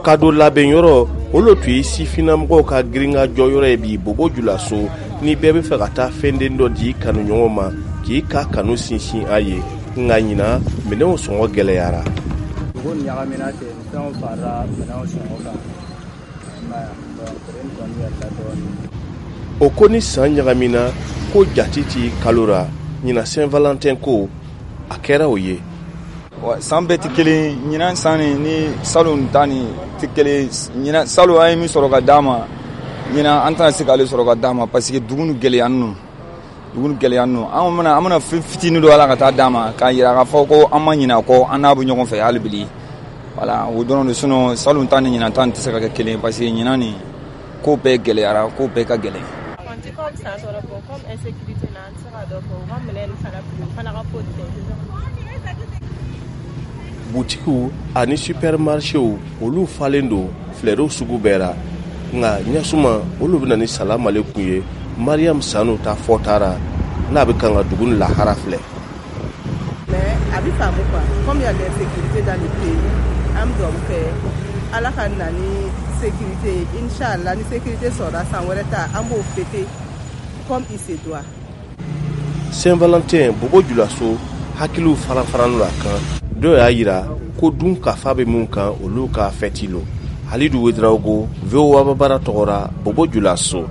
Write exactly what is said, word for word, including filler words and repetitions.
Kado labɛnyɔrɔ, olu tun ye sifinnamɔgɔw ka girinka jɔyɔrɔ ye bi Bobo Julaso. Ni bɛɛ bɛ fɛ ka taa fɛnden dɔ di kanuɲɔgɔn ma k'i ka kanu sinsin a ye, nka ɲinan minɛnw sɔngɔ gɛlɛyara. Dugu ɲagamina ten, fɛnw farala minɛnw sɔngɔ kan. Prix kɔni yɛlɛla dɔɔnin. O ko ni san ɲagamina ko jati ti kalo ra. Ɲinan Saint Valentin ko a kɛra o ye. San bɛɛ tɛ kelen. Ɲinan san ni ni salon ta ni tɛ kelen. Ɲinan, salon an ye min sɔrɔ ka d'a ma, ɲinan an tɛna se k'ale sɔrɔ ka d'a ma, parce que dugu ni gɛlɛya ninnu, dugu ni gɛlɛya ninnu. An bɛna an bɛna fɛn fitinin dɔ ala ka taa d'a ma k'a yira k'a fɔ ko an ma ɲinɛ a kɔ, an n'a bɛ ɲɔgɔn fɛ hali bi. Voilà, o dɔrɔn de. Sinon salon ta ni ɲinan ta tɛ se ka kɛ kelen, parce que ɲinan nin ko bɛɛ gɛlɛyara, ko bɛɛ ka gɛlɛn. Comme san sɔrɔ, bon, comme insécurité na, an tɛ se ka dɔ fɔ u ka minɛn nin fana prix, u fana ka ko tɛ. Butikiw ani supermarchéw, olu falen don filɛriw sugu bɛɛ ra, nka ɲasuma olu bɛna ni salamalekum ye. Mariam Sanu ta fɔtara n'a bɛ kan ka dugu ni lahara filɛ. Mais a bɛ faamu quoi, comme il y a l'insécurité dans le pays, an bɛ dugawu kɛ Ala ka na ni sécurité ye. Inchallah, ni sécurité sɔrɔla, san wɛrɛ ta, an b'o fêter comme il se doit. Saint Valentin Bobo Julaso, hakiliw fara faralen a kan. Dɔw y'a yira ko dun kafa bɛ mun kan, olu ka fɛti lo. Halidu Wedraogo, V O A Bambara tɔgɔ ra, Bobo Julaso.